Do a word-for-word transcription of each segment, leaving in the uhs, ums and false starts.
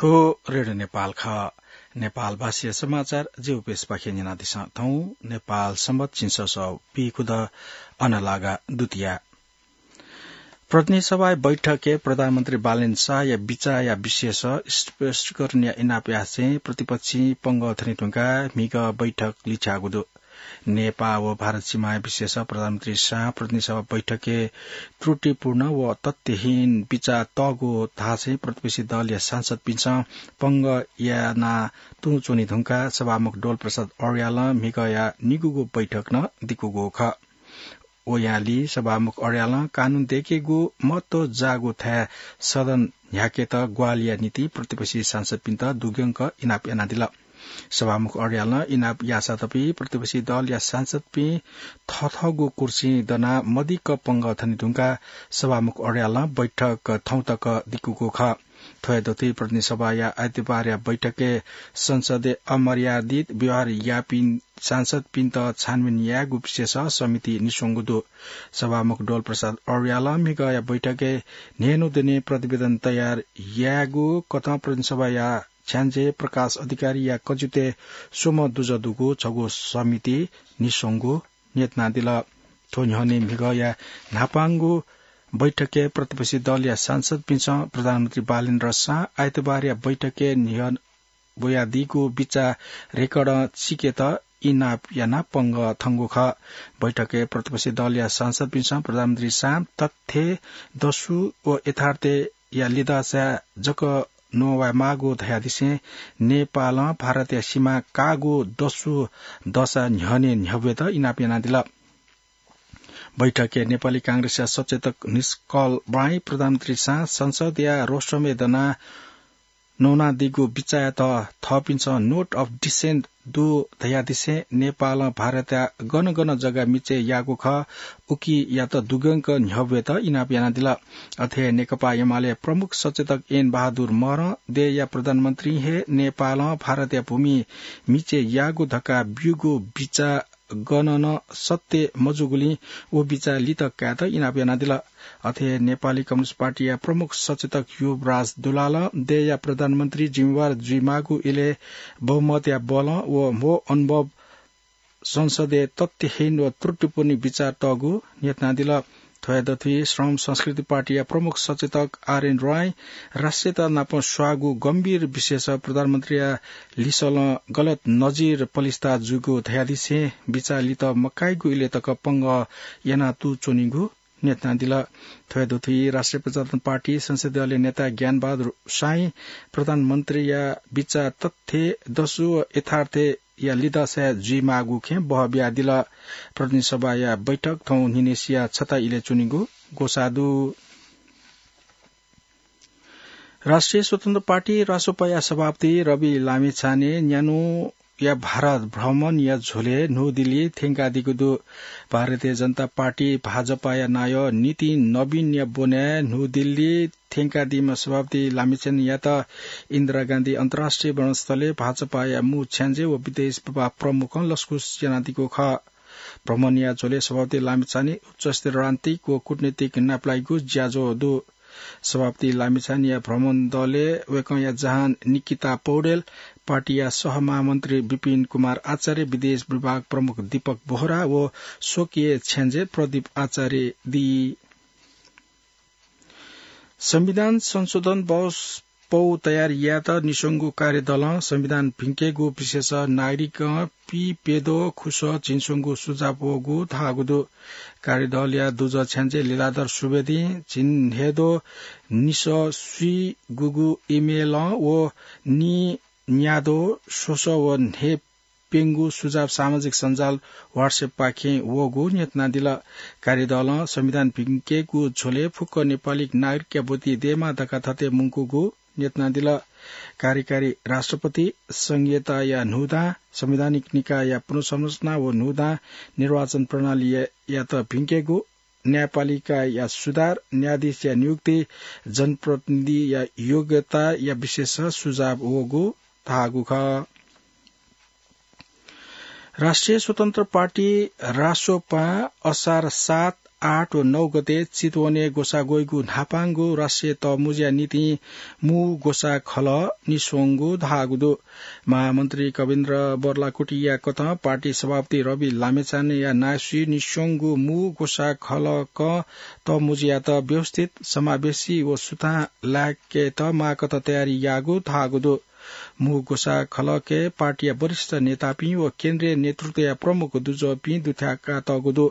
थ्व रेडियो नेपाल खः। नेपालभाषीय समाचार जिगु पेजपाखें न्यनादिसँ। थौं नेपाल संवत् झिंछसः पीखुदँ अनलागा दुतिया। प्रतिनिधि सभाया बैठकय् प्रधानमन्त्री बालेन्द्र शाहया बिचाःया विषयस स्पष्टीकरणया इनाप यासें प्रतिपक्षी पंगः थने धुंकाः म्हिगः बैठक लिछ्याःगु दु। नेपाः व भारत सीमाया विषयस प्रधानमन्त्री शाहं प्रतिनिधि सभा बैठकय् त्रुटिपूर्ण व तथ्यहीन बिचाः तःगु धासें प्रतिपक्षी दलया सांसदपिन्सं पंगः याना तुं च्वने धुंकाः सभामुख डोल प्रसाद अर्यालं म्हिगःया निगूगु बैठक नं दिकूगु खः। वयालि सभामुख अर्यालं कानून दय्केगु महत्व जाःगु थाय् सदन न्ह्याकेत ग्वाहालिया निंतिं प्रतिपक्षी सांसदपिन्त दुग्यंक इनाप यानादिल। सभामुख अर्यालं इनाप याःसातपि प्रतिपक्षी दलया सांसदपिं थथःगु कुर्सी दनाः मदिक्क पंगः थने धुंकाः सभामुख अर्यालं बैठक थौं तक दिकूगु खः। थ्वया दथुइ प्रतिनिधि सभाया आइतबारया बैठकय् संसदय् अमर्यादित व्यवहार याःपिं सांसदपिन्त छानबिन यायेगु विषयस समिति निस्वंगु दु। सभामुख डोल प्रसाद अर्यालं म्हिगःया बैठकय् न्हय्न्हु दुने प्रतिवेदन तयार यायेगु कथं प्रतिनिधि सभाया छ्याञ्जे प्रकाश अधिकारीया कजितय् स्वम्ह दुजः दुगु छगू समिति निस्वंगु न्ह्यथनादिल। थ्व न्ह्यःने म्हिगःया न्हापांगु बैठकय् प्रतिपक्षी दलया सांसदपिन्सं प्रधानमन्त्री बालेन्द्र शाह आइतबारया बैठकय् न्ह्यब्वयादीगु बिचाः रेकर्डं चिकेत इनाप यानाः पंगः थंगु खः। बैठकय् प्रतिपक्षी दलया सांसदपिन्सं प्रधानमन्त्री शाहं तथ्य, दसु व यथार्थया लिधःसाय् जक न्ववायेमाःगु धयादिसें नेपालं भारतया सीमा काःगु दसु दःसाय् न्ह्यःने न्ह्यब्वयेत इनाप यानादिल। बैठकय् नेपाली कांग्रेसया सचेतक निष्कल ब्राँइ प्रधानमन्त्री शाह संसदया रोस्ट्रमय् दनाः नवानादीगु बिचाःयात थःपिन्सं note of dissent दु धयादिसें नेपालं भारतया गन गन जग्गा मिचय् याःगु खः, उकियात दुग्यंक न्ह्यब्वयेत इनाप यानादिल। अथे हे नेकपा एमाले प्रमुख सचेतक एन बहादुर महरं देय्‌या प्रधानमन्त्रीं हे नेपालं भारतया भूमि मिचय् याःगु धकाः ब्यूगु बिचाः गनं नं सत्य मजूगुलिं व बिचाः लित कायेत इनाप यानादिल। अथे नेपाली कम्युनिस्ट पार्टीया प्रमुख सचेतक युवराज दुलालं देय्‌या प्रधानमन्त्री जिम्मेवार जुइमाःगु इलय् बहुमतया बलं व म्हो अनुभव संसदय् तथ्यहीन व त्रुटिपूर्ण बिचाः तःगु न्ह्यथनादिल। थ्वया दथुइ श्रम संस्कृति पार्टीया प्रमुख सचेतक आरएन राय राष्ट्रियता नाप स्वाःगु गम्भीर विषयस प्रधानमन्त्रीया लिसलं गलत नजिर पलिस्था जूगु धयादिसें बिचाः लित मकाइगु इलय् तक पंगः याना तू च्वनीगु न्ह्यथनादिल। थ्वया दथुइ राष्ट्रिय प्रजातन्त्र पार्टी संसदीय दलया नेता ज्ञानबहादुर शाहीं प्रधानमन्त्रीया बिचाः तथ्य, दसु व यथार्थया लिधःसाय् जुइमाःगु खँय् बहः बियादिल। प्रतिनिधि सभाया बैठक थौं न्हिनेसिया छता इलय् च्वनीगु ग्वसाः दु। राष्ट्रिय स्वतन्त्र पार्टी रासोपाया सभापति रवि लामिछाने न्यान्हुया भारत भ्रमणया झ्वलय् न्हू दिल्ली थ्यंकादीगु दु। भारतीय जनता पार्टी, भाजपाया नायः नितिन नवीनया ब्वनाय् न्हू दिल्ली थ्यंकादीम्ह सभापति लामिछानेयात इन्दिरा गान्धी अन्तर्राष्ट्रिय विमानस्थलय् भाजपाया मू छ्याञ्जे व विदेश विभाग प्रमुखं लसकुस यानादीगु खः। भ्रमणया झ्वलय् सभापति लामिछाने उच्चस्तरीय रणनीतिक व कूटनीतिक नापलाइगु ज्याझ्वः दु। सभापति लामिछानेया भ्रमण दलय् वय्‌कःया जहान निकिता पौडेल, पार्टीया सहमहामन्त्री विपिन कुमार आचार्य, विदेश विभाग प्रमुख दीपक बोहरा व स्वकीय छ्याञ्जे प्रदीप आचार्य दी। संविधान संशोधन बहस पौ तयार यायेत निस्वंगु कार्यदलं संविधान भिंकेगु विषयस नागरिकं पीप्यद्वः खुसः झिंस्वंगू सुझाव वःगु धाःगु दु। कार्यदलया दुजः छ्याञ्जे लीलाधर सुवेदीं झिंन्हय्‌द्वः निसः स्वीगूगु email-ं व नीन्याद्वः स्वसः व न्हय् प्यंगू सुझाव सामाजिक सञ्जाल WhatsApp-पाखें वःगु न्ह्यथनादिल। कार्यदलं संविधान भिंकेगु झ्वलय् फुक्क नेपाली नागरिकया ब्वति दयेमाः धकाः थथे मुंकूगु न्ह्यथनादिल। कार्यकारी राष्ट्रपति, संघीयताया न्हूदां, संवैधानिक निकायया पुनर्संरचना व न्हूदां, निर्वाचन प्रणालीयात भिंकेगु, न्यायपालिकाया सुधार, न्यायाधीशया नियुक्ति, जनप्रतिनिधिया योग्यताया विषयस सुझाव वःगु धाःगु खः। राष्ट्रिय स्वतन्त्र पार्टी रासोपां असार सात आठ व नौ गते चितवनय् ग्वसाः ग्वइगु न्हापांगु राष्ट्रिय तःमुँज्या निंतिं मू ग्वसाः खलः निस्वंगु धाःगु दु। महामन्त्री कविन्द्र बर्लाकुटिया कथं पार्टी सभापति रवि लामिछानेया नायःसुइ निस्वंगु मू ग्वसाः खलःकं तःमुँज्यात व्यवस्थित, समावेशी व सुथां लाकेत माःकथं तयारी याःगु धाःगु दु। मू ग्वसाः खलःके पार्टीया वरिष्ठ नेतापिं व केन्द्रीय नेतृत्वया प्रमुख दुजःपिं दुथ्याकातःगु दु।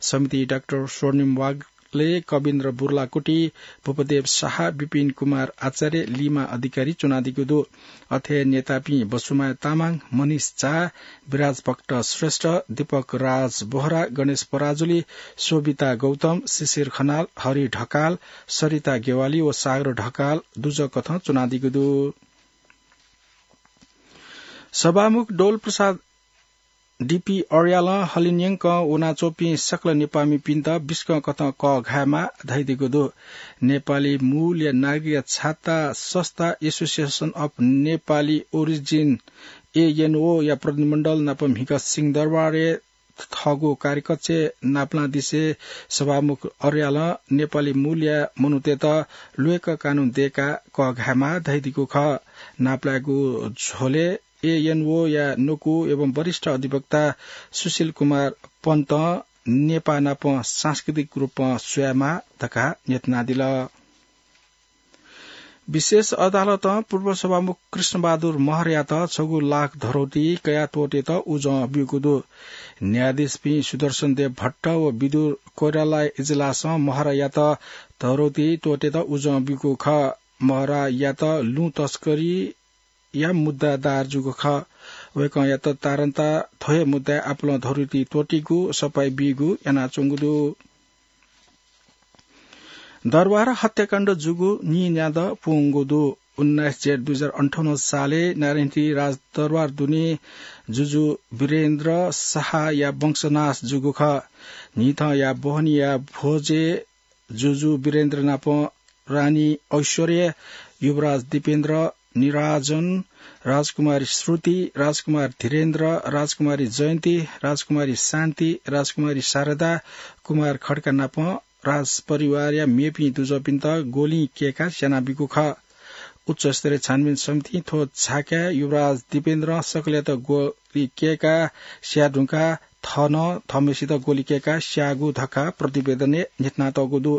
समिति डाक्टर स्वर्णिम वाग्ले, कविन्द्र बुर्लाकुटी, भूपदेव शाह, विपिन कुमार आचार्य, लिमा अधिकारी च्वनादीगु दु। अथे नेतापिं बसुमाया तामाङ, मनिष झा, विराज भक्त श्रेष्ठ, दीपक राज बोहरा, गणेश पराजुली, शोभिता गौतम, शिशिर खनाल, हरि ढकाल, सरिता गेवाली व सागर ढकाल दुजःकथं च्वनादीगु दु। सभामुख डोल प्रसाद डीपी अर्यालं हलिंन्यंकं वनाच्वंपिं सकल नेपाःमिपिन्त बिस्कं कथं कःघायेमाः धयादीगु दु। नेपाली मूलया नागरिकया छाता संस्था association of Nepali origin, ANO, या प्रतिनिधिमण्डल नाप म्हिगः सिंहदरबारय् थःगु कार्यकक्षय् नापलांनिसें सभामुख अर्यालं नेपाली मूलया मनूतय्त ल्वय्क कानून दय्काः कःघायेमाः धयादीगु खः। नापलायेगु झ्वलय् एएनओया न्वकू एवं वरिष्ठ अधिवक्ता सुशील कुमार पन्तं नेपाः नाप सांस्कृतिक रूपं स्वयेमाः धकाः न्ह्यथनादिल। विशेष अदालतं पूर्व सभामुख कृष्णबहादुर महरयात छगू लाख धरौटी कयाः त्वःतेत उजं ब्यूगु दु। न्यायाधीशपिं सुदर्शन देव भट्ट व विदुर कोइराला इजलासं महरयात धरौटी त्वःतेत उजं ब्यूगु खः। महरयात लुँ तस्करीया मुद्दा दायर जूगु खः। वय्कःयात तारन्ता थ्व हे मुद्दाय् आपालं धरौटी त्वःतीगु सफाई बीगु यानाच्वंगु दु। दरबार हत्याकाण्ड जूगु नीन्यादँ पूवंगु दु। उन्नाइस जेठ दुई हजार अन्ठाउन्न सालय् नारायणहिटी राजदरबार दुने जुजु वीरेन्द्र शाहया वंशनाश जूगु खः। न्हिथंया बहनीया भोजय् जुजु वीरेन्द्र नाप रानी ऐश्वर्या, युवराज दीपेन्द्र, निराजन, राजकुमारी श्रुति, राजकुमार धीरेन्द्र, राजकुमारी जयन्ती, राजकुमारी शान्ति, राजकुमारी शारदा, कुमार खड्का नाप राजपरिवारया मेपिं दुजःपिन्त ग्वलिं कय्काः स्यानाबीगु खः। उच्चस्तरीय छानबिन समितिं थ्व झाकाय् युवराज दीपेन्द्रं सकलयात ग्वलि कय्काः स्याये धुंकाः थः नं थःम्हेसित ग्वलि कय्काः स्याःगु धकाः प्रतिवेदनय् न्ह्यथनातःगु दु।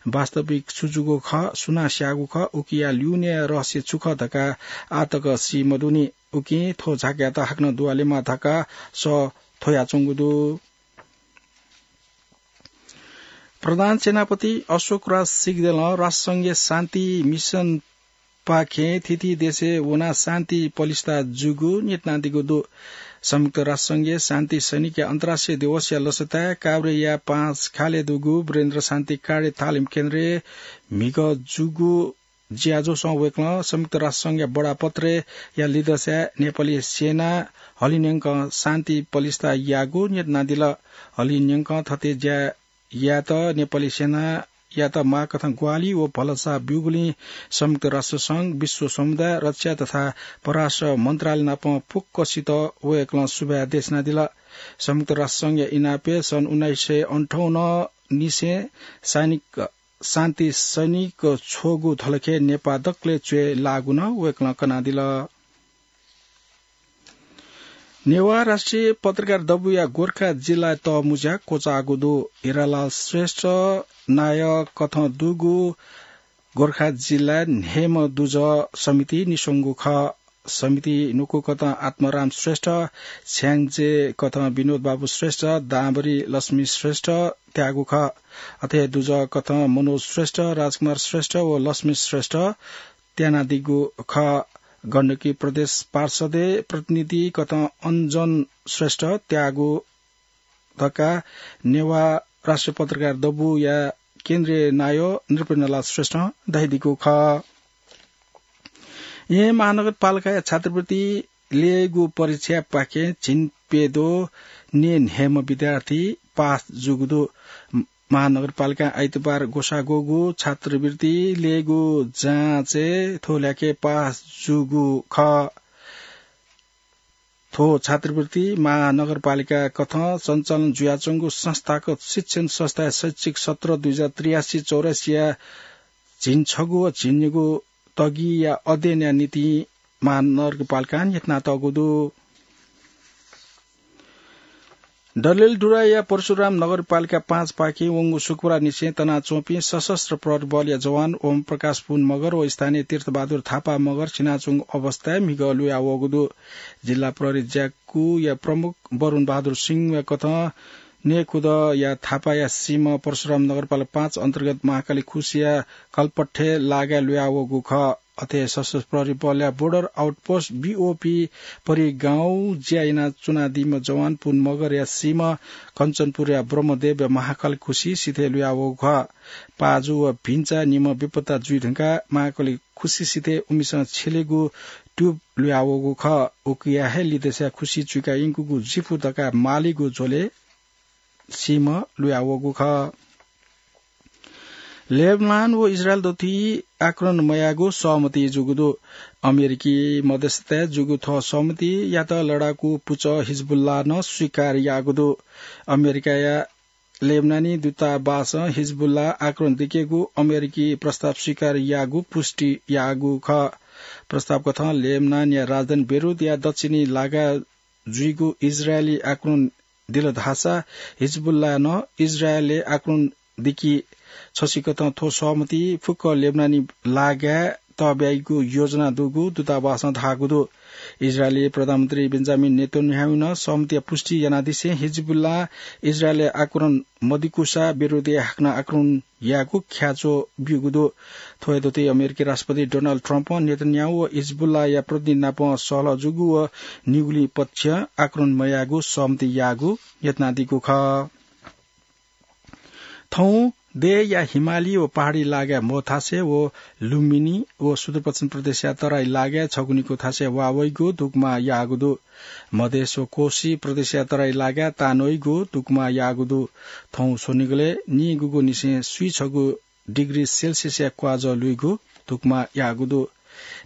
वास्तविक छु जूगु खः, सुनां स्याःगु खः, उकिया ल्यूनेया रहस्य छु खः धकाः आः तक सी मदुनि। उकिं थ्व झाकाय्त हाकनं दुवालेमाः धकाः सः थ्वयाच्वंगु दु। प्रधान सेनापति अशोकराज सिग्देलं राष्ट्रसंघीय शान्ति मिसनपाखें थीथी देशय् वनाः शान्ति पलिस्था जूगु न्ह्यथनादीगु दु। संयुक्त राष्ट्रसंघीय शान्ति सैनिकया अन्तर्राष्ट्रिय दिवसया लसताय् काभ्रेया पाँचखालय् दुगु वीरेन्द्र शान्ति कार्य तालिम केन्द्रय् म्हिगः जूगु ज्याझ्वलय् वय्कलं संयुक्त राष्ट्रसंघया बडापत्रया लिदस्याय् नेपाली सेनां हलिंन्यंकं शान्ति पलिस्था याःगु न्ह्यथनादिल। हलिंन्यंकं थथे ज्या यायेत नेपाली सेनायात माःकथं ग्वाहालि व भलसा ब्यूगुलिं संयुक्त राष्ट्रसंघ, विश्व समुदाय, रक्षा तथा परराष्ट्र मन्त्रालय नाप फुक्कसित वय्कलं सुभाय् देछानादिल। संयुक्त राष्ट्रसंघया इनापय् सन् उन्नाइस सय अन्ठाउन्न निसें सैनिक शान्ति सैनिक छ्वःगु धलखे नेपाः दकलय् च्वय् लाःगु नं वय्कलं कनादिल। नेवाः राष्ट्रिय पत्रकार दबूया गोर्खा जिल्लाय् तःमुँज्या क्वचाःगु दु। हिरालाल श्रेष्ठ नायः कथं दुगु गोर्खा जिल्लाय् न्हय्म्ह दुजः समिति निस्वंगु खः। समिति न्वकू कथं आत्माराम श्रेष्ठ, छ्याङ्जे कथं विनोद बाबु श्रेष्ठ, दांभरी लक्ष्मी श्रेष्ठ त्याःगु खः। अथे दुजः कथं मनोज श्रेष्ठ, राजकुमार श्रेष्ठ व लक्ष्मी श्रेष्ठ त्यानादीगु खः। गण्डकी प्रदेश पार्षदय् प्रतिनिधि कथं अञ्जन श्रेष्ठ त्याःगु धकाः नेवाः राष्ट्रिय पत्रकार दबूया केन्द्रीय नायः नृपेन्द्रलाल श्रेष्ठं धयादीगु खः। येँ महानगरपालिकाया छात्रवृत्ति ल्ययेगु परीक्षापाखें झिंप्यद्वः न्यय्न्हय्म्ह विद्यार्थी पास जूगु दु। महानगरपालिकां आइतबार ग्वसाः ग्वःगु छात्रवृत्ति ल्ययेगु जाँचय् थ्व ल्याखय् पास जूगु खः। थ्व छात्रवृत्ति महानगरपालिका कथं सञ्चालन जुयाच्वंगु संस्थागत शिक्षण संस्थाया शैक्षिक सत्र दुई हजार त्रियासी चौरासीया झिंछगू व झिंनिगू तगिया अध्ययनया निंतिं महानगरपालिकां यत्नातःगु दु। डडेलधुराया परशुराम नगरपालिका पाँचपाखें वंगु शुक्रबारनिसें तनाच्वंपिं सशस्त्र प्रहरी बलया जवान ओम प्रकाश पुन मगर व स्थानीय तीर्थबहादुर थापा मगर सिनाच्वंगु अवस्थाय् म्हिगः लुयावःगु दु। जिल्ला प्रहरी ज्याकुया प्रमुख वरुण बहादुर सिंहया कथं नेकुदया थापाया सीम्ह परशुराम नगरपालिका पाँच अन्तर्गत महाकाली खुसिया कलपट्ठे लागाय् लुयावःगु खः। अथे सशस्त्र प्रहरी बलया बोर्डर आउटपोस्ट, बीओपी, परि गाउँ ज्या यानाच्वनादीम्ह जवान पुन मगरया सीम्ह कञ्चनपुरया ब्रह्मदेवया महाकाली खुसि सिथय् लुयावःगु खः। पाजु व भिन्चा निम्ह बेपत्ता जुइ धुंकाः महाकाली खुसि सिथय् उमिसं छ्यलेगु ट्युब लुयावःगु खः। उकिया हे लिधंसाय् खुसि चुइका यंकूगु जिफु धकाः मालीगु झ्वलय् सीम्ह लुयावःगु खः। लेबनान व इजरायल दथुइ आक्रमण मयायेगु सहमति जूगु दु। अमेरिकी मध्यस्थताय् जूगु थ्व सहमतियात लडाकू पुचः हिजबुल्लां नं स्वीकार याःगु दु। अमेरिकाया लेबनानी दूतावासं हिजबुल्लां आक्रमण दिकेगु अमेरिकी प्रस्ताव स्वीकार याःगु पुष्टि याःगु खः। प्रस्ताव कथं लेबनानया राजधानी बेरुतया दक्षिणी लागाय् जुइगु इजरायली आक्रमण दिल धाःसा हिजबुल्लां नं इजरायलय् आक्रमण दिकी। छसिकथं थ्व सहमति फुक्क लेबनानी लागाय् तःब्याइगु योजना दुगु दूतावासं धाःगु दु। इजरायली प्रधानमन्त्री बेन्जामिन नेतन्याहुं नं सहमतिया पुष्टि यानादिसें हिजबुल्लां इजरायलय् आक्रमण मदिकूसा बेरुतय् हाकनं आक्रमण यायेगु ख्याच्वः ब्यूगु दु। थ्व हे दथुइ अमेरिकी राष्ट्रपति डोनाल्ड ट्रम्पं नेतन्याहु व हिजबुल्लाया प्रतिनिधि नाप सहलह जूगु व निगुलिं पक्षं आक्रमण मयायेगु सहमति याःगु यत्नादीगु खः। थौं देय्‌या हिमाली व पहाडी लागाय् म्हो थासय् व लुम्बिनी व सुदूरपश्चिम प्रदेशया तराई लागाय् छगू निकू थासय् वाः वइगु धुकुमा याःगु दु। मधेस व कोशी प्रदेशया तराई लागाय् तान वइगु धुकुमा याःगु दु। थौं स्वनिगलय् निगूगु निसें स्वीछगू डिग्री सेल्सियसया क्वाजः लुइगु धुकुमा याःगु दु।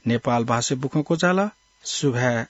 नेपाल भाषाय् बुखँ क्वचाल। सुभाय्।